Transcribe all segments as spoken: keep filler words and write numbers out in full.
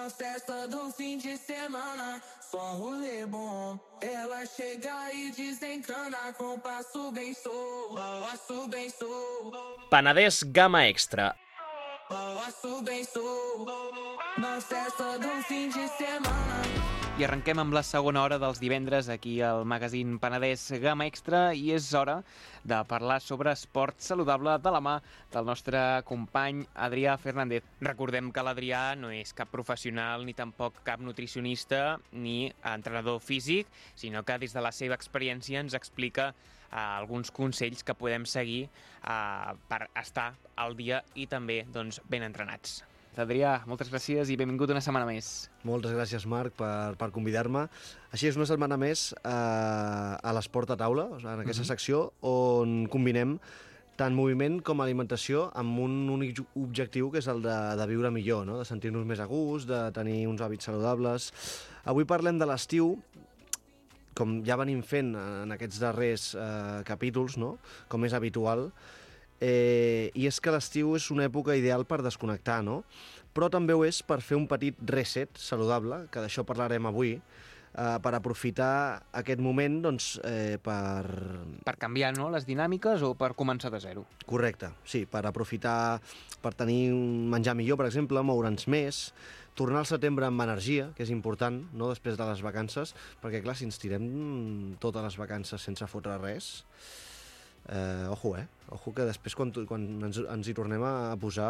Na festa do fim de semana, só um rolê bom. Ela chega e desencana com passo bem sou, passo bem sou. Penedès Gamma Extra. Passo bem sou. Na festa do fim de semana. I arrenquem amb la segona hora dels divendres aquí al magazín Penedès Gamma Extra i és hora de parlar sobre esport saludable de la mà del nostre company Adrià Fernández. Recordem que l'Adrià no és cap professional ni tampoc cap nutricionista ni entrenador físic, sinó que des de la seva experiència ens explica uh, alguns consells que podem seguir uh, per estar al dia i també doncs, ben entrenats. Adrià, moltes gràcies i benvingut una setmana més. Moltes gràcies, Marc, per, per convidar-me. Així és, una setmana més eh, a l'esport a taula, en aquesta uh-huh. secció, on combinem tant moviment com alimentació amb un únic objectiu, que és el de, de viure millor, no? De sentir-nos més a gust, de tenir uns hàbits saludables. Avui parlem de l'estiu, com ja venim fent en aquests darrers eh, capítols, no? Com és habitual. Eh, I és que l'estiu és una època ideal per desconnectar, no? Però també ho és per fer un petit reset saludable, que d'això parlarem avui, eh, per aprofitar aquest moment doncs, eh, per... Per canviar, no?, les dinàmiques o per començar de zero. Correcte, sí, per aprofitar, per tenir un menjar millor, per exemple, moure'ns més, tornar al setembre amb energia, que és important, no?, després de les vacances, perquè, clar, si ens tirem totes les vacances sense fotre res... Eh, ojo, eh? Ojo que després quan, quan ens, ens hi tornem a posar...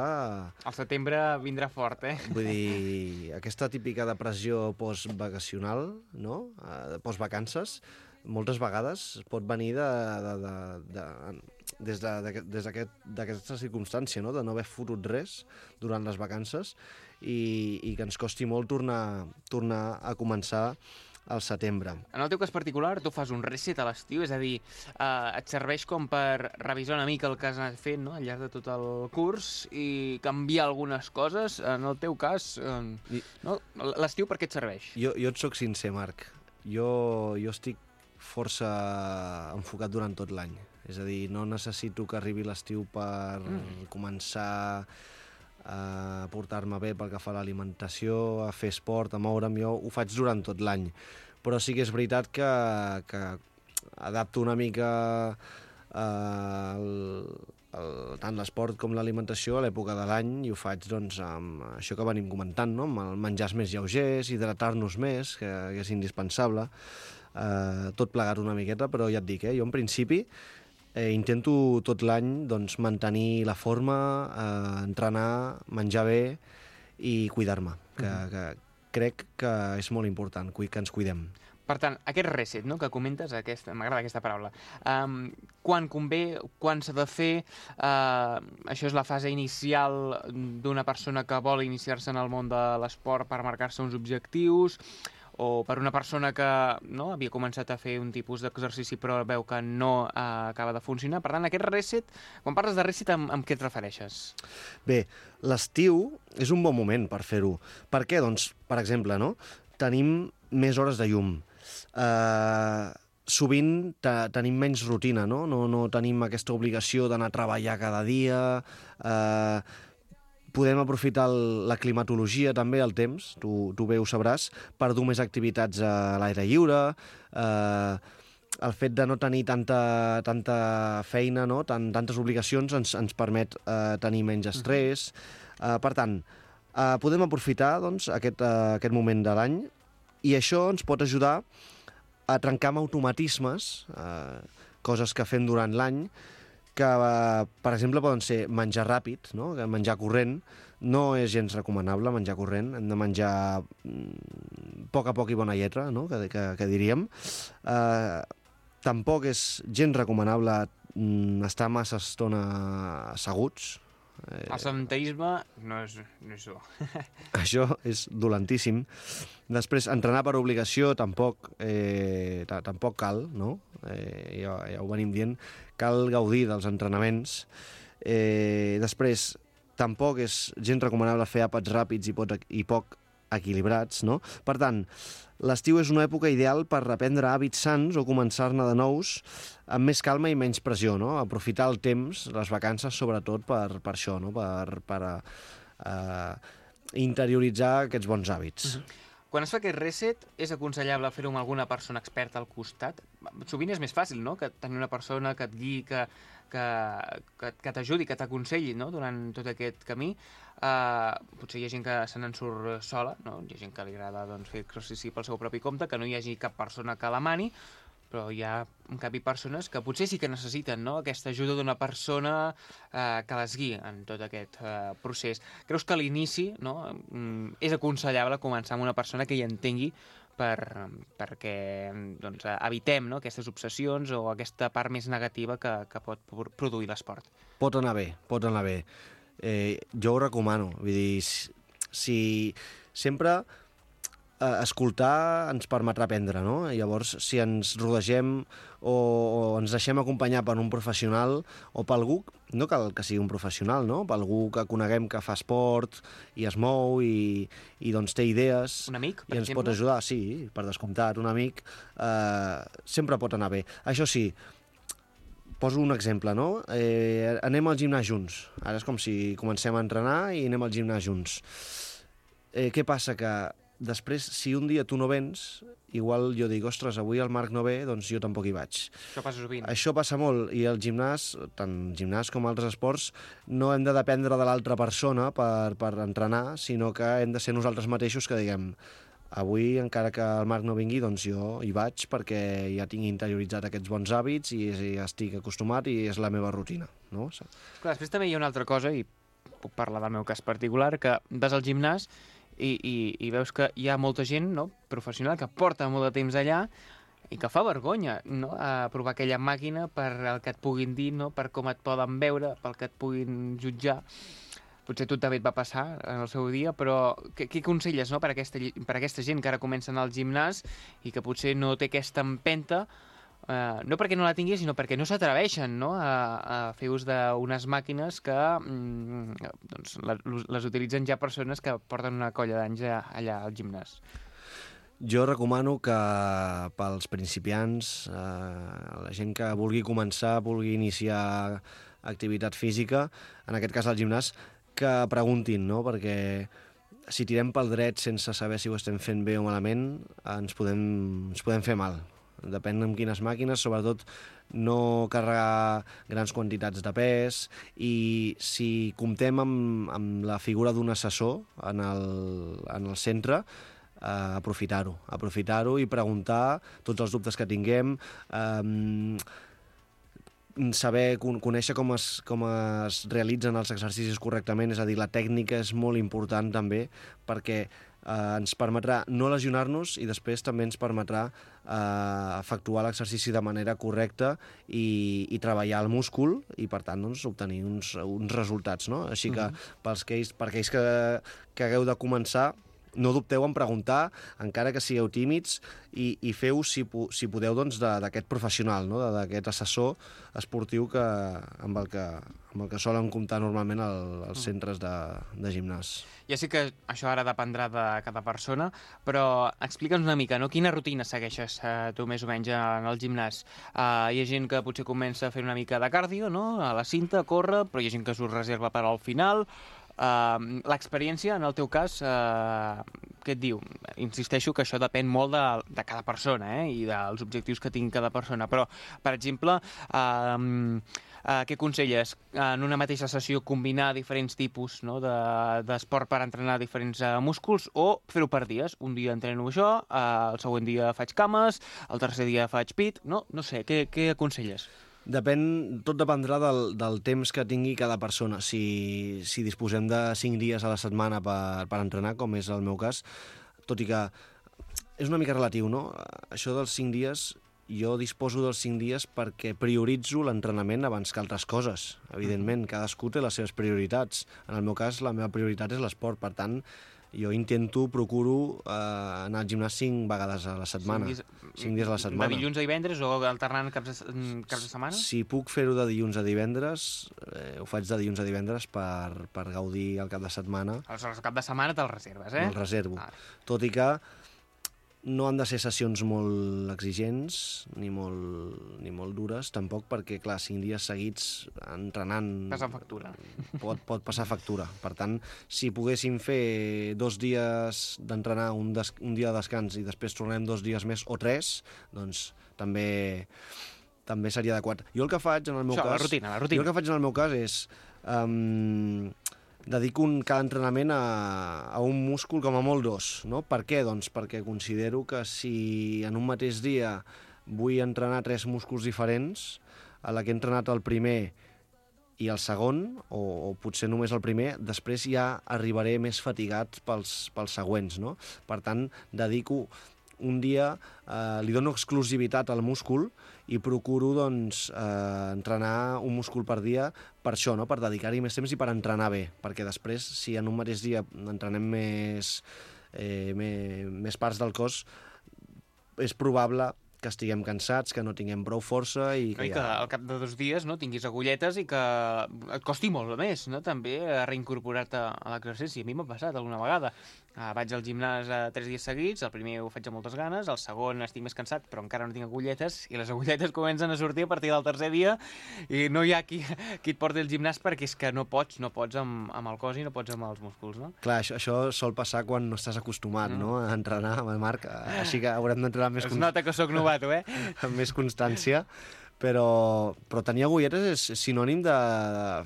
El setembre vindrà fort, eh? Vull dir, aquesta típica depressió postvacacional, no? Eh, postvacances, moltes vegades pot venir de, de, de, de, des d'aquesta de, d'aquest, circumstància, no? De no haver fotut res durant les vacances i, i que ens costi molt tornar, tornar a començar al setembre. En el teu cas particular, tu fas un reset a l'estiu, és a dir, eh, et serveix com per revisar una mica el que has anat fent, no?, al llarg de tot el curs i canviar algunes coses. En el teu cas, eh, I... no? L'estiu per què et serveix? Jo, jo et soc sincer, Marc. Jo, jo estic força enfocat durant tot l'any. És a dir, no necessito que arribi l'estiu per mm. començar a portar-me bé pel que fa a l'alimentació, a fer esport, a moure'm. Jo ho faig durant tot l'any. Però sí que és veritat que, que adapto una mica eh, el, el, tant l'esport com l'alimentació a l'època de l'any i ho faig doncs, amb això que venim comentant, no? Amb el menjars més lleugers, hidratar-nos més, que, que és indispensable, eh, tot plegat una miqueta, però ja et dic, eh, jo en principi Eh, intento tot l'any doncs, mantenir la forma, eh, entrenar, menjar bé i cuidar-me, que, mm-hmm. que crec que és molt important que ens cuidem. Per tant, aquest reset, no?, que comentes, aquesta, m'agrada aquesta paraula, um, quan convé, quan s'ha de fer, uh, això és la fase inicial d'una persona que vol iniciar-se en el món de l'esport per marcar-se uns objectius, o per una persona que no, havia començat a fer un tipus d'exercici però veu que no eh, acaba de funcionar. Per tant, aquest reset, quan parles de reset, amb, amb què et refereixes? Bé, l'estiu és un bon moment per fer-ho. Per què? Doncs, per exemple, no? Tenim més hores de llum. Eh, sovint tenim menys rutina, no? No, no tenim aquesta obligació d'anar a treballar cada dia. Eh, Podem aprofitar el, la climatologia també, el temps, tu, tu bé ho sabràs, per dur més activitats a l'aire lliure, eh, el fet de no tenir tanta, tanta feina, no? Tant, tantes obligacions ens, ens permet eh, tenir menys estrès. Eh, per tant, eh, podem aprofitar doncs, aquest, eh, aquest moment de l'any i això ens pot ajudar a trencar amb automatismes, eh, coses que fem durant l'any, que, per exemple, poden ser menjar ràpid, no? Menjar corrent. No és gens recomanable menjar corrent, hem de menjar a poc a poc i bona lletra, no? que, que, que diríem. Eh, tampoc és gens recomanable estar massa estona asseguts. Eh, el sedentarisme no és, no és bo. Això és dolentíssim. Després, entrenar per obligació tampoc, eh, tampoc cal, no? Eh, ja, ja ho venim dient. Cal gaudir dels entrenaments. Eh, després, tampoc és gens recomanable fer àpats ràpids i, pot, i poc equilibrats, no? Per tant, l'estiu és una època ideal per reprendre hàbits sants o començar-ne de nous amb més calma i menys pressió, no? Aprofitar el temps, les vacances, sobretot per, per això, no? Per, per uh, interioritzar aquests bons hàbits. Uh-huh. Quan es fa aquest reset, és aconsellable fer-ho amb alguna persona experta al costat? Sovint és més fàcil, no?, que tenir una persona que et guiï, que, que, que, que t'ajudi, que t'aconselli, no?, durant tot aquest camí. Uh, potser hi ha gent que se n'en surt sola, no? Hi ha gent que li agrada doncs, fer exercici pel seu propi compte, que no hi hagi cap persona que la mani, però hi ha, en canvi, persones que potser sí que necessiten, no?, aquesta ajuda d'una persona eh, que les guiï en tot aquest eh, procés. Creus que a l'inici, no?, és aconsellable començar amb una persona que hi entengui per, perquè doncs, evitem, no?, aquestes obsessions o aquesta part més negativa que, que pot produir l'esport? Pot anar bé, pot anar bé. Eh, jo ho recomano. Vull dir, si, si sempre... Uh, escoltar ens permetrà aprendre, no? Llavors, si ens rodegem o, o ens deixem acompanyar per un professional o per algú, no cal que sigui un professional, no? Per algú que coneguem que fa esport i es mou i, i doncs té idees... Un amic, per i ens exemple? pot ajudar, sí, per descomptat, un amic, uh, sempre pot anar bé. Això sí, poso un exemple, no? Eh, anem al gimnàs junts. Ara és com si comencem a entrenar i anem al gimnàs junts. Eh, què passa? Que després, si un dia tu no vens, igual jo dic, ostres, avui el Marc no ve, doncs jo tampoc hi vaig. Això passa sovint. Això passa molt, i el gimnàs, tant gimnàs com altres esports, no hem de dependre de l'altra persona per, per entrenar, sinó que hem de ser nosaltres mateixos que diguem, avui, encara que el Marc no vingui, doncs jo hi vaig perquè ja tinc interioritzat aquests bons hàbits i ja estic acostumat i és la meva rutina, no? Clar, després també hi ha una altra cosa, i puc parlar del meu cas particular, que vas al gimnàs I, i, i veus que hi ha molta gent, no?, professional que porta molt de temps allà i que fa vergonya, no?, a provar aquella màquina per el que et puguin dir, no?, per com et poden veure, pel que et puguin jutjar. Potser a tu també et va passar en el seu dia, però què, què aconselles, no?, per aquesta, per aquesta gent que ara comença a anar al gimnàs i que potser no té aquesta empenta, Uh, no perquè no la tingui, sinó perquè no s'atreveixen, no?, a, a fer ús d'unes màquines que mm, doncs, la, les utilitzen ja persones que porten una colla d'anys allà al gimnàs. Jo recomano que pels principiants, eh, la gent que vulgui començar, vulgui iniciar activitat física, en aquest cas al gimnàs, que preguntin, no?, perquè si tirem pel dret sense saber si ho estem fent bé o malament, ens podem, ens podem fer mal. Depèn amb quines màquines, sobretot no carregar grans quantitats de pes, i si comptem amb, amb la figura d'un assessor en el, en el centre, eh, aprofitar-ho, aprofitar-ho i preguntar tots els dubtes que tinguem, eh, saber, conèixer com es, com es realitzen els exercicis correctament, és a dir, la tècnica és molt important també, perquè eh, ens permetrà no lesionar-nos i després també ens permetrà eh, efectuar l'exercici de manera correcta i, i treballar el múscul i, per tant, doncs, obtenir uns, uns resultats, no? Així que, uh-huh. pels que, per aquells que, que hagueu de començar, no dubteu en preguntar, encara que sigueu tímids, i, i feu, si, si podeu, doncs, d'aquest professional, no?, d'aquest assessor esportiu que, amb, el que, amb el que solen comptar normalment el, els centres de, de gimnàs. Ja sé que això ara dependrà de cada persona, però explica'ns una mica, no?, quina rutina segueixes eh, tu més o menys en el gimnàs? Uh, hi ha gent que potser comença a fer una mica de cardio, no?, a la cinta, a córrer, però hi ha gent que s'ho reserva per al final. Uh, l'experiència, en el teu cas, uh, què et diu? Insisteixo que això depèn molt de, de cada persona, eh? I dels objectius que tingui cada persona, però, per exemple, uh, uh, què aconselles? En una mateixa sessió combinar diferents tipus, no?, d'esport de, per entrenar diferents uh, músculs, o fer-ho per dies? Un dia entreno això, uh, el següent dia faig cames, el tercer dia faig pit, no? No sé, què, què aconselles? Depèn, tot dependrà del, del temps que tingui cada persona. Si, si disposem de cinc dies a la setmana per, per entrenar, com és el meu cas, tot i que és una mica relatiu, no? Això dels cinc dies, jo disposo dels cinc dies perquè prioritzo l'entrenament abans que altres coses. Evidentment, cadascú té les seves prioritats. En el meu cas, la meva prioritat és l'esport, per tant, jo intento, procuro eh, anar al gimnàs cinc vegades a la setmana. Cinc dies, cinc dies a la setmana. De dilluns a divendres o alternant caps de, caps de setmana? Si puc fer-ho de dilluns a divendres, eh, ho faig de dilluns a divendres per, per gaudir el cap de setmana. Aleshores, el cap de setmana te'l reserves, eh? Me'l reservo. Ah. Tot i que no han de ser sessions molt exigents ni molt, ni molt dures, tampoc, perquè, clar, cinc dies seguits entrenant... Passant factura. Pot, pot passar factura. Per tant, si poguéssim fer dos dies d'entrenar, un, des, un dia de descans i després tornem dos dies més o tres, doncs també, també seria adequat. Jo el que faig en el meu Això, cas... la rutina, la rutina. Jo el que faig en el meu cas és... Um, dedico un, cada entrenament a, a un múscul, com a molt dos, no? Per què? Doncs perquè considero que si en un mateix dia vull entrenar tres músculs diferents, a la que he entrenat el primer i el segon, o, o potser només el primer, després ja arribaré més fatigat pels, pels següents, no? Per tant, dedico un dia, eh, li dono exclusivitat al múscul i procuro, doncs, eh, entrenar un múscul per dia per això, no? Per dedicar-hi més temps i per entrenar bé, perquè després, si en un mateix dia entrenem més, eh, més, més parts del cos, és probable que estiguem cansats, que no tinguem prou força i que, No, i ja... que al cap de dos dies no, tinguis agulletes i que et costi molt més, no? També a reincorporar-te a l'exercici. A mi m'ha passat alguna vegada. Uh, vaig al gimnàs uh, tres dies seguits, el primer ho faig amb moltes ganes, el segon estic més cansat, però encara no tinc agulletes, i les agulletes comencen a sortir a partir del tercer dia, i no hi ha qui, qui et porti al gimnàs perquè és que no pots, no pots amb, amb el cos i no pots amb els músculs, no? Clar, això, això sol passar quan no estàs acostumat, mm. no?, a entrenar, Marc, així que haurem d'entrenar més... Es nota que sóc novato, eh? amb més constància, però, però tenir agulletes és sinònim de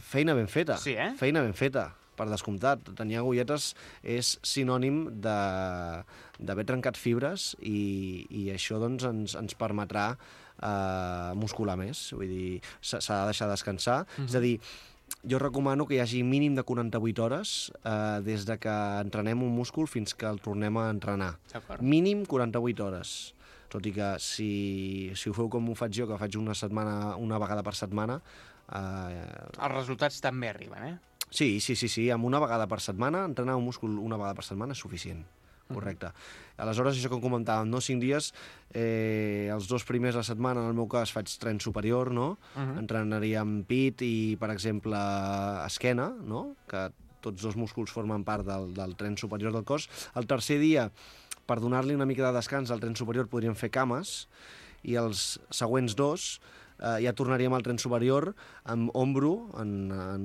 feina ben feta. Sí, eh? Feina ben feta, per descomptat. Tenir agulletes és sinònim de d'haver trencat fibres i, i això doncs, ens, ens permetrà eh, muscular més. Vull dir, s'ha de deixar descansar. Mm-hmm. És a dir, jo recomano que hi hagi mínim de quaranta-vuit hores eh, des de que entrenem un múscul fins que el tornem a entrenar. Mínim quaranta-vuit hores. Tot i que si, si ho feu com ho faig jo, que faig una setmana, una vegada per setmana... Eh... Els resultats també arriben, eh? Sí, sí, sí, sí, amb una vegada per setmana, entrenar un múscul una vegada per setmana és suficient, correcte. Mm-hmm. Aleshores, això que comentàvem, no? Cinc dies, eh, els dos primers de la setmana, en el meu cas, faig tren superior, no? Mm-hmm. Entrenaríem pit i, per exemple, esquena, no? Que tots dos músculs formen part del, del tren superior del cos. El tercer dia, per donar-li una mica de descans al tren superior, podríem fer cames, i els següents dos eh, ja tornaríem al tren superior amb ombro, en, en,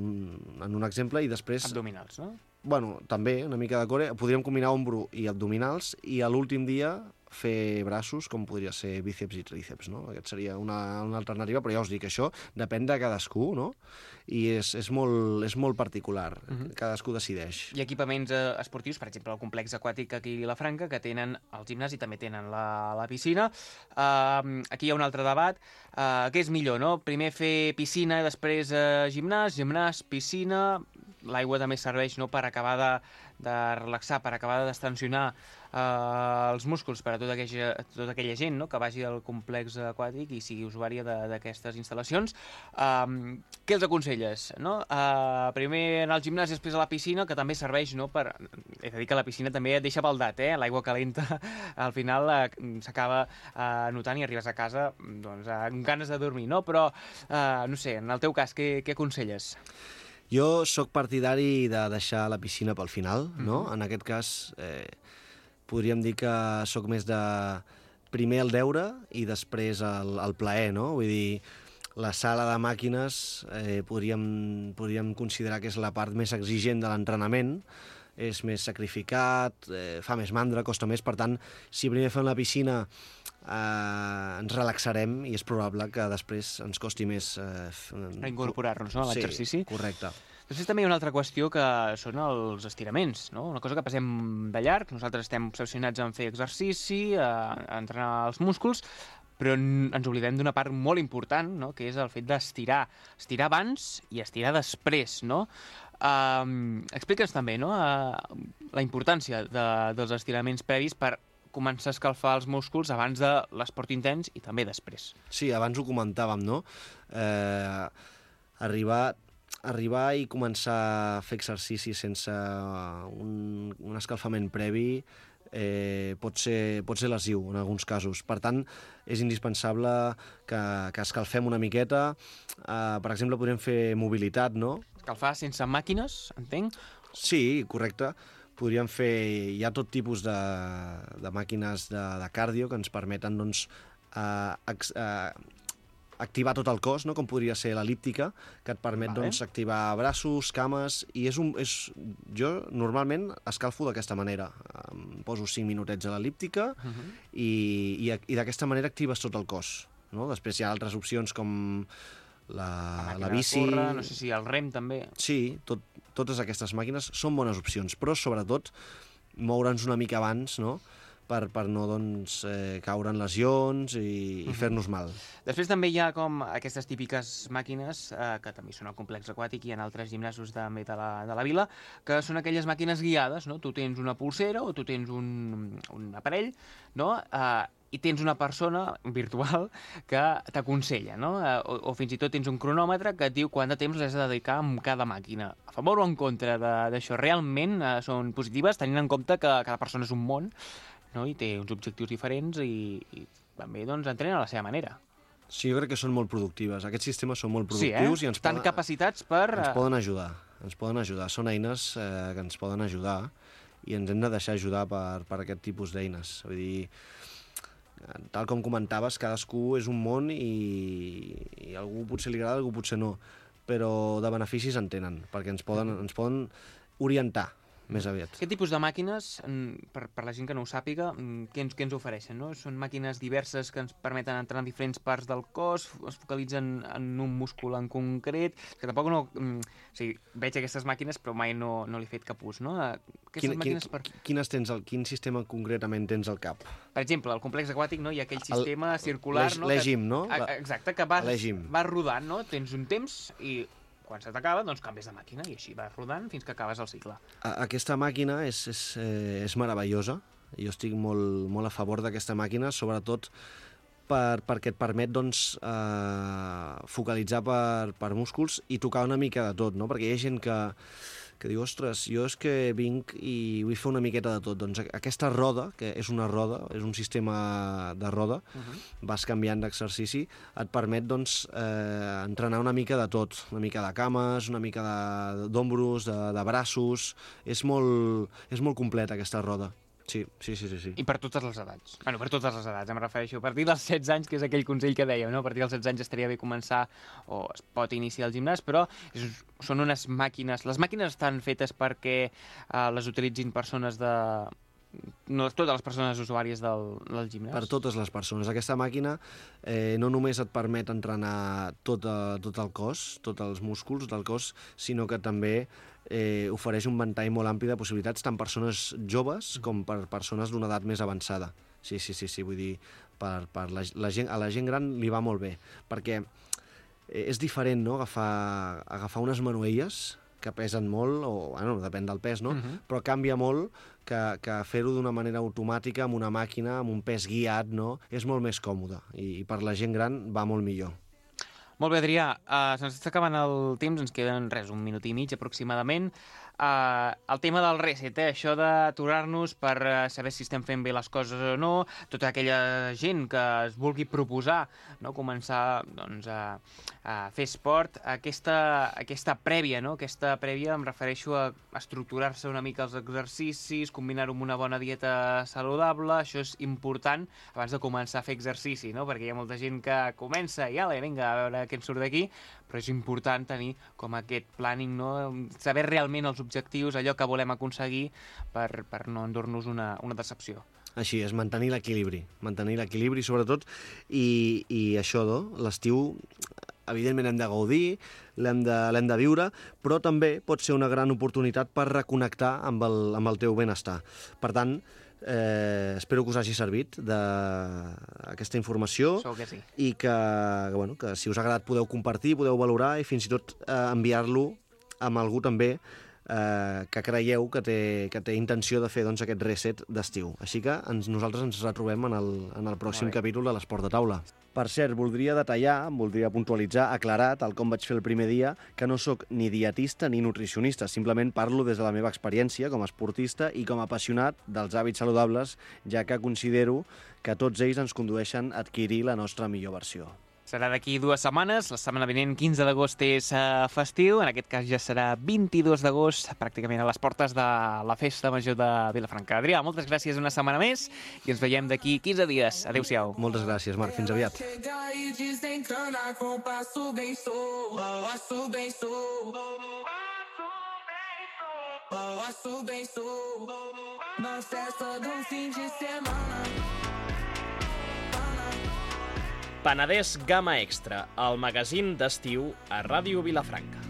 en un exemple, i després... Abdominals, no? Bueno, també, una mica de core. Podríem combinar ombro i abdominals, i a l'últim dia fer braços, com podria ser bíceps i tríceps, no? Aquest seria una, una alternativa, però ja us dic, això depèn de cadascú, no? I és, és, molt, és molt particular, uh-huh. Cadascú decideix. Hi ha equipaments eh, esportius, per exemple, el complex aquàtic aquí a Vilafranca, que tenen el gimnàs i també tenen la, la piscina. Uh, aquí hi ha un altre debat. Uh, què és millor, no? Primer fer piscina i després uh, gimnàs, gimnàs, piscina... L'aigua també serveix, no?, per acabar de, de relaxar, per acabar de destensionar eh, els músculs per a tota aquella, tota aquella gent, no?, que vagi al complex aquàtic i sigui usuària d'aquestes instal·lacions. Um, què els aconselles? No? Uh, primer anar al gimnàs i després a la piscina, que també serveix, no?, per... He de dir que la piscina també et deixa baldat, eh? L'aigua calenta al final uh, s'acaba uh, notant i arribes a casa doncs, uh, amb ganes de dormir, no? Però, uh, no sé, en el teu cas, què, què aconselles? Jo sóc partidari de deixar la piscina pel final, no? Mm-hmm. En aquest cas, eh, podríem dir que sóc més de primer el deure i després el, el plaer, no? Vull dir, la sala de màquines eh, podríem, podríem considerar que és la part més exigent de l'entrenament, és més sacrificat, eh, fa més mandra, costa més, per tant, si primer fem la piscina eh, ens relaxarem i és probable que després ens costi més... Eh, incorporar-nos, no?, a l'exercici. Sí, correcte. Després també hi ha una altra qüestió que són els estiraments, no? Una cosa que passem de llarg, nosaltres estem obsessionats en fer exercici, a, a entrenar els músculs, però ens oblidem d'una part molt important, no?, que és el fet d'estirar. Estirar abans i estirar després, no? Uh, Explica'ns també, no?, uh, la importància de, dels estiraments previs per començar a escalfar els músculs abans de l'esport intens i també després. Sí, abans ho comentàvem, no? Eh, arribar, arribar i començar a fer exercici sense un, un escalfament previ eh, pot ser, pot ser lesiu en alguns casos. Per tant, és indispensable que, que escalfem una miqueta. Eh, per exemple, podríem fer mobilitat, no? Escalfar sense màquines, entenc? Sí, correcte. podríem fer... Hi ha tot tipus de, de màquines de, de cardio que ens permeten, doncs, uh, ex, uh, activar tot el cos, no? Com podria ser l'elíptica, que et permet Vale. doncs, activar braços, cames, i és un, és, jo normalment escalfo d'aquesta manera. Em poso cinc minutets a l'elíptica uh -huh. i, i, i d'aquesta manera actives tot el cos. No? Després hi ha altres opcions com la, la, la bici... Córrer, no sé si el rem també. Sí, tot, totes aquestes màquines són bones opcions, però sobretot moure'ns una mica abans, no?, per, per no doncs, eh, caure en lesions i, i fer-nos mal. Després també hi ha com aquestes típiques màquines, eh, que també són al complex aquàtic i en altres gimnasos també de la, de la vila, que són aquelles màquines guiades, no? Tu tens una pulsera o tu tens un, un aparell, no?, eh, i tens una persona virtual que t'aconsella, no? Eh, o, o fins i tot tens un cronòmetre que et diu quant de temps l'has de dedicar a cada màquina. A favor o en contra d'això? Realment eh, són positives, tenint en compte que cada persona és un món, no? I té uns objectius diferents i, i també doncs, entrenen a la seva manera. Sí, jo crec que són molt productives. Aquests sistemes són molt Sí, eh? productius i ens Estan poden, capacitats per... ens poden ajudar. Ens poden ajudar. Són eines eh, que ens poden ajudar i ens hem de deixar ajudar per, per aquest tipus d'eines. Vull dir, tal com comentaves, cadascú és un món i, i a algú potser li agrada, a algú potser no, però de beneficis en tenen, perquè ens poden, ens poden orientar més aviat. Aquest tipus de màquines, per, per la gent que no ho sàpiga, què ens, què ens ofereixen? No? Són màquines diverses que ens permeten entrar en diferents parts del cos, es focalitzen en un múscul en concret, que tampoc no... O sigui, veig aquestes màquines però mai no, no li he fet cap ús, no? Aquestes Quin, màquines quin, per... quines tens al, quin sistema concretament tens al cap? Per exemple, al complex aquàtic, no? Hi ha aquell sistema el, circular... No? L'Egim, no? Exacte, que vas, vas rodant, no? Tens un temps i... quan se t'acaba, doncs canvies de màquina i així vas rodant fins que acabes el cicle. Aquesta màquina és, és, eh, és meravellosa. Jo estic molt, molt a favor d'aquesta màquina, sobretot per, perquè et permet doncs, eh, focalitzar per, per músculs i tocar una mica de tot, no? Perquè hi ha gent que, que diu, ostres, jo és que vinc i vull fer una miqueta de tot. Doncs aquesta roda, que és una roda, és un sistema de roda, uh-huh. vas canviant d'exercici, et permet doncs, eh, entrenar una mica de tot, una mica de cames, una mica d'ombros, de, de, de braços... És molt, és molt completa aquesta roda. Sí, sí, sí, sí, sí. I per totes les edats. Bueno, per totes les edats, em refereixo. A partir dels setze anys, que és aquell consell que dèiem, no? A partir dels setze anys estaria bé començar, o es pot iniciar el gimnàs, però és, són unes màquines... Les màquines estan fetes perquè eh, les utilitzin persones de... No totes les persones usuàries del, del gimnàs. Per totes les persones. Aquesta màquina eh, no només et permet entrenar tot, a, tot el cos, tots els músculs del cos, sinó que també eh, ofereix un ventall molt ampli de possibilitats, tant persones joves com per persones d'una edat més avançada. Sí, sí, sí, sí, vull dir, per, per la, la gent, a la gent gran li va molt bé, perquè eh, és diferent, no?, agafar, agafar unes manuelles que pesen molt, o bueno, depèn del pes, no? Uh-huh. Però canvia molt que, que fer-ho d'una manera automàtica, amb una màquina, amb un pes guiat, no? És molt més còmode, i, i per la gent gran va molt millor. Molt bé, Adrià, uh, se'ns està acabant el temps, ens queden res, un minut i mig aproximadament. Uh, el tema del reset, eh? Això d'aturar-nos per uh, saber si estem fent bé les coses o no, tota aquella gent que es vulgui proposar, no? Començar doncs, a, a fer esport, aquesta, aquesta prèvia, no? Aquesta prèvia em refereixo a estructurar-se una mica els exercicis, combinar-ho amb una bona dieta saludable, això és important abans de començar a fer exercici, no? Perquè hi ha molta gent que comença i ala, vinga, a veure què en surt d'aquí, però és important tenir com aquest planning, no? Saber realment els objectius, allò que volem aconseguir per, per no endur-nos una, una decepció. Així és, mantenir l'equilibri, mantenir l'equilibri sobretot, i, i això, no? L'estiu, evidentment hem de gaudir, l'hem de, l'hem de viure, però també pot ser una gran oportunitat per reconnectar amb el, amb el teu benestar. Per tant, eh, espero que us hagi servit d'aquesta informació. Segur que sí. I que, que, bueno, que si us ha agradat podeu compartir, podeu valorar i fins i tot eh, enviar-lo amb algú també eh, que creieu que té, que té intenció de fer doncs, aquest reset d'estiu. Així que ens, nosaltres ens retrobem en el, en el pròxim capítol de l'Esport de Taula. Per cert, voldria detallar, voldria puntualitzar, aclarar, tal com vaig fer el primer dia, que no sóc ni dietista ni nutricionista, simplement parlo des de la meva experiència com a esportista i com a apassionat dels hàbits saludables, ja que considero que tots ells ens condueixen a adquirir la nostra millor versió. Serà d'aquí dues setmanes, la setmana vinent, quinze d'agost, és uh, festiu, en aquest cas ja serà vint-i-dos d'agost, pràcticament a les portes de la Festa Major de Vilafranca. Adrià, moltes gràcies una setmana més i ens veiem d'aquí quinze dies. Adéu-siau. Moltes gràcies, Marc. Fins aviat. Na festa do fim de semana. Penedès Gamma Extra, el magazín d'estiu a Ràdio Vilafranca.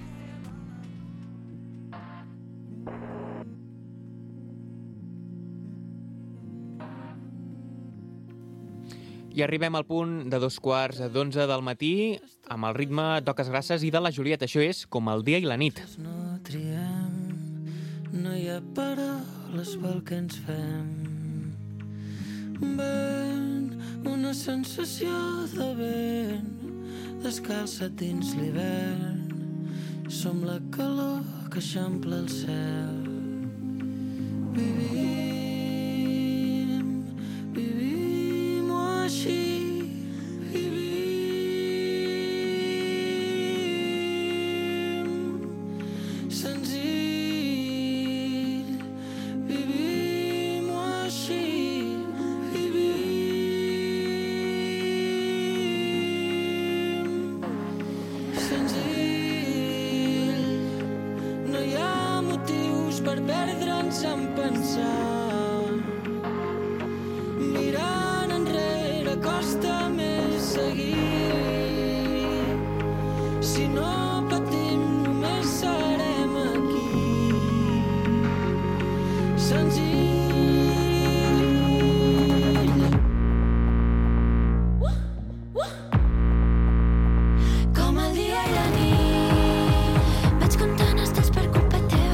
I arribem al punt de dos quarts d'onze del matí amb el ritme d'Oques Grasses i de la Julieta. Això és Com el dia i la nit. No triem, no hi ha paraules pel que ens fem. Ven, una sensació de vent, descalça dins l'hivern. Som la calor que eixampla el cel. Vivim, vivim-ho així. En pensar, mirant enrere costa més seguir. Si no patim només serem aquí. Senzill. Uh, uh. Com el dia i la nit, vaig comptant estels per culpa teva.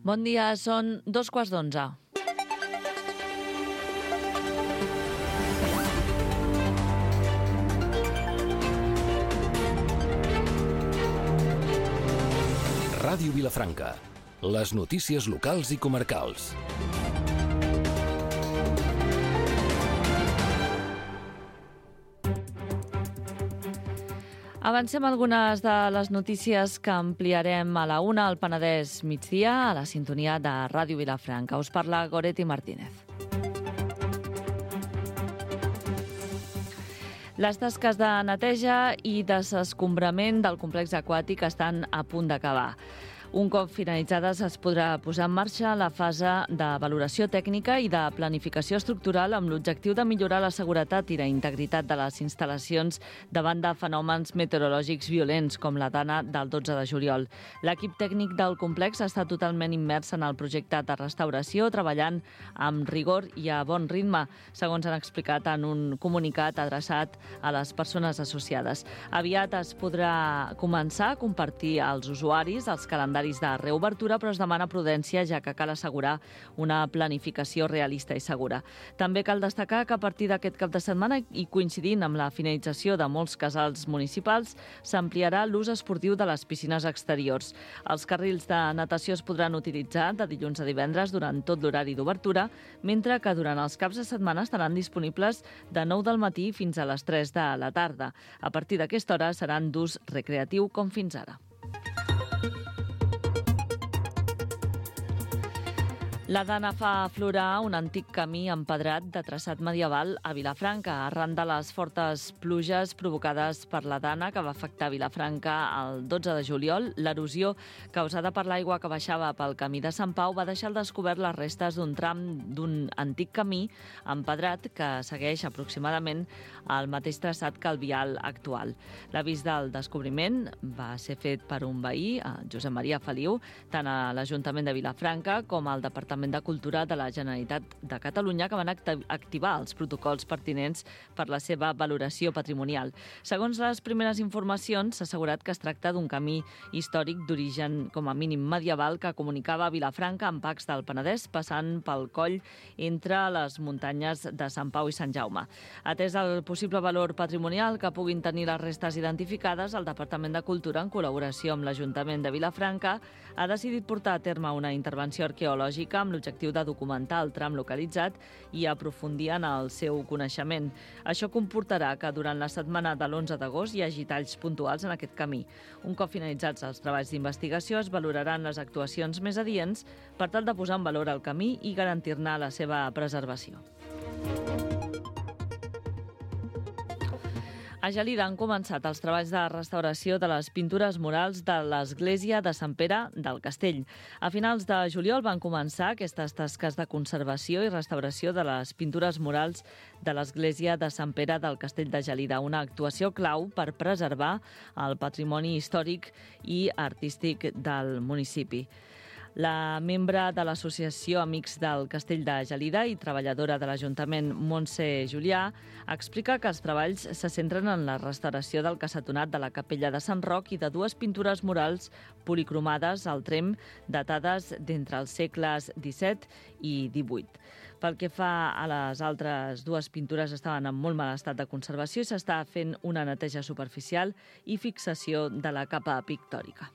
Bon dia, són dos quarts d'onze. Ràdio Vilafranca. Les notícies locals i comarcals. Avancem algunes de les notícies que ampliarem a la una al Penedès migdia a la sintonia de Ràdio Vilafranca. Us parla Goretti Martínez. Les tasques de neteja i desescombrament del complex aquàtic estan a punt d'acabar. Un cop finalitzades es podrà posar en marxa la fase de valoració tècnica i de planificació estructural amb l'objectiu de millorar la seguretat i la integritat de les instal·lacions davant de fenòmens meteorològics violents com la dana del dotze de juliol. L'equip tècnic del complex està totalment immers en el projecte de restauració, treballant amb rigor i a bon ritme, segons han explicat en un comunicat adreçat a les persones associades. Aviat es podrà començar a compartir als usuaris els calendaris de reobertura, però es demana prudència, ja que cal assegurar una planificació realista i segura. També cal destacar que a partir d'aquest cap de setmana i coincidint amb la finalització de molts casals municipals, s'ampliarà l'ús esportiu de les piscines exteriors. Els carrils de natació es podran utilitzar de dilluns a divendres durant tot l'horari d'obertura, mentre que durant els caps de setmana estaran disponibles de nou del matí fins a les tres de la tarda. A partir d'aquesta hora seran d'ús recreatiu com fins ara. La Dana fa aflorar un antic camí empedrat de traçat medieval a Vilafranca. Arran de les fortes pluges provocades per la Dana que va afectar Vilafranca el dotze de juliol, l'erosió causada per l'aigua que baixava pel camí de Sant Pau va deixar al descobert les restes d'un tram d'un antic camí empedrat que segueix aproximadament el mateix traçat que el vial actual. L'avís del descobriment va ser fet per un veí, Josep Maria Feliu, tant a l'Ajuntament de Vilafranca com al Departament de Cultura de la Generalitat de Catalunya, que van activar els protocols pertinents per la seva valoració patrimonial. Segons les primeres informacions, s'ha assegurat que es tracta d'un camí històric d'origen com a mínim medieval que comunicava Vilafranca amb Pacs del Penedès, passant pel coll entre les muntanyes de Sant Pau i Sant Jaume. Atès el possible valor patrimonial que puguin tenir les restes identificades, el Departament de Cultura, en col·laboració amb l'Ajuntament de Vilafranca, ha decidit portar a terme una intervenció arqueològica amb l'objectiu de documentar el tram localitzat i aprofundir en el seu coneixement. Això comportarà que durant la setmana de l'onze d'agost hi hagi talls puntuals en aquest camí. Un cop finalitzats els treballs d'investigació, es valoraran les actuacions més adients per tal de posar en valor el camí i garantir-ne la seva preservació. A Gelida han començat els treballs de restauració de les pintures murals de l'església de Sant Pere del Castell. A finals de juliol van començar aquestes tasques de conservació i restauració de les pintures murals de l'església de Sant Pere del Castell de Gelida, una actuació clau per preservar el patrimoni històric i artístic del municipi. La membre de l'Associació Amics del Castell de Gelida i treballadora de l'Ajuntament, Montse Julià, explica que els treballs se centren en la restauració del cassetonat de la capella de Sant Roc i de dues pintures murals policromades al trem datades d'entre els segles disset i divuit. Pel que fa a les altres dues pintures, estaven en molt mal estat de conservació i s'està fent una neteja superficial i fixació de la capa pictòrica.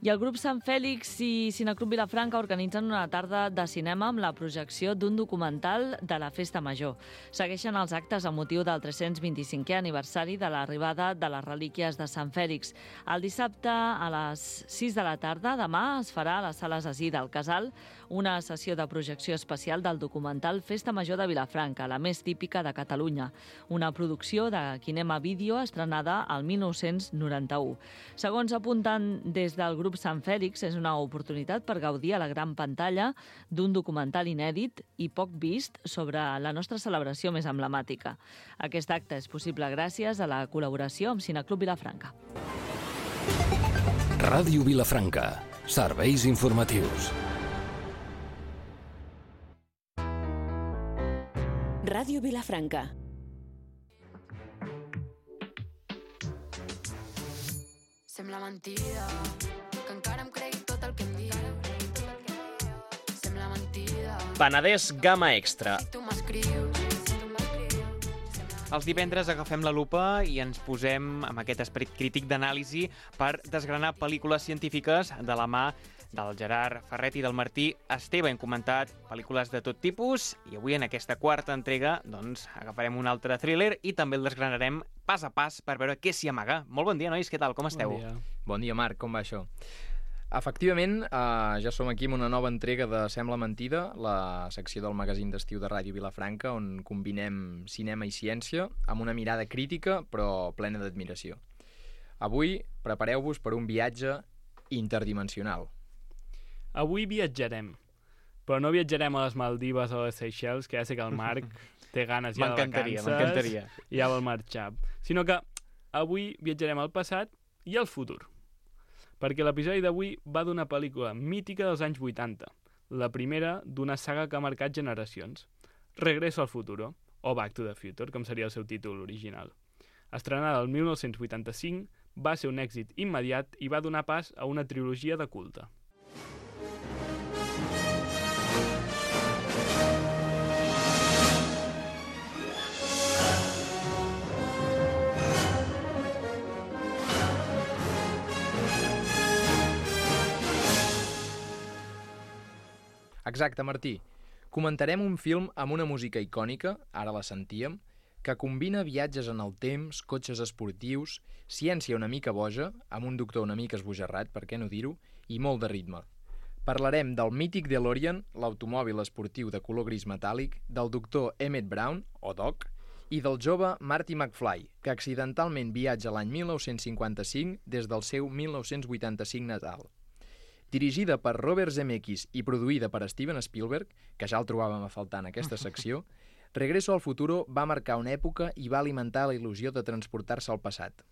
I el grup Sant Fèlix i Cineclub Vilafranca organitzen una tarda de cinema amb la projecció d'un documental de la Festa Major. Segueixen els actes a motiu del tres-cents vint-i-cinquè aniversari de l'arribada de les relíquies de Sant Fèlix. El dissabte a les sis de la tarda, demà, es farà a les sales Así del Casal una sessió de projecció especial del documental Festa Major de Vilafranca, la més típica de Catalunya, una producció de Kinema Vídeo estrenada al mil nou-cents noranta-u. Segons apunten des del grup Sant Fèlix, és una oportunitat per gaudir a la gran pantalla d'un documental inèdit i poc vist sobre la nostra celebració més emblemàtica. Aquest acte és possible gràcies a la col·laboració amb Cineclub Vilafranca. Ràdio Vilafranca. Serveis informatius. Ràdio Vilafranca. Sembla mentida que encara em cregui tot el que em dius. Sembla mentida. Penedès Gamma Extra. Si tu m'escrius. Els divendres agafem la lupa i ens posem amb aquest esperit crític d'anàlisi per desgranar pel·lícules científiques de la mà del Gerard Ferret i del Martí Esteve. Hem comentat pel·lícules de tot tipus i avui en aquesta quarta entrega doncs, agafarem un altre thriller i també el desgranarem pas a pas per veure què s'hi amaga. Molt bon dia, nois, què tal? Com esteu? Bon dia, bon dia Marc, com va això? Efectivament, eh, ja som aquí amb una nova entrega de Sembla Mentida, la secció del magazín d'estiu de Ràdio Vilafranca, on combinem cinema i ciència amb una mirada crítica però plena d'admiració. Avui prepareu-vos per un viatge interdimensional. Avui viatjarem, però no viatjarem a les Maldives o a les Seychelles, que ja sé que el Marc té ganes ja de vacances m'encantaria. i ja vol marxar, sinó que avui viatjarem al passat i al futur. Perquè l'episodi d'avui va d'una pel·lícula mítica dels anys vuitanta, la primera d'una saga que ha marcat generacions, Regreso al futuro, o Back to the Future, com seria el seu títol original. Estrenada el mil nou-cents vuitanta-cinc, va ser un èxit immediat i va donar pas a una trilogia de culte. Exacte, Martí. Comentarem un film amb una música icònica, ara la sentíem, que combina viatges en el temps, cotxes esportius, ciència una mica boja, amb un doctor una mica esbojarrat, per què no dir-ho, i molt de ritme. Parlarem del mític DeLorean, l'automòbil esportiu de color gris metàl·lic, del doctor Emmett Brown, o Doc, i del jove Marty McFly, que accidentalment viatja l'any mil nou-cents cinquanta-cinc des del seu mil nou-cents vuitanta-cinc natal. Dirigida per Robert Zemeckis i produïda per Steven Spielberg, que ja el trobàvem a faltar en aquesta secció, Regreso al futuro va marcar una època i va alimentar la il·lusió de transportar-se al passat.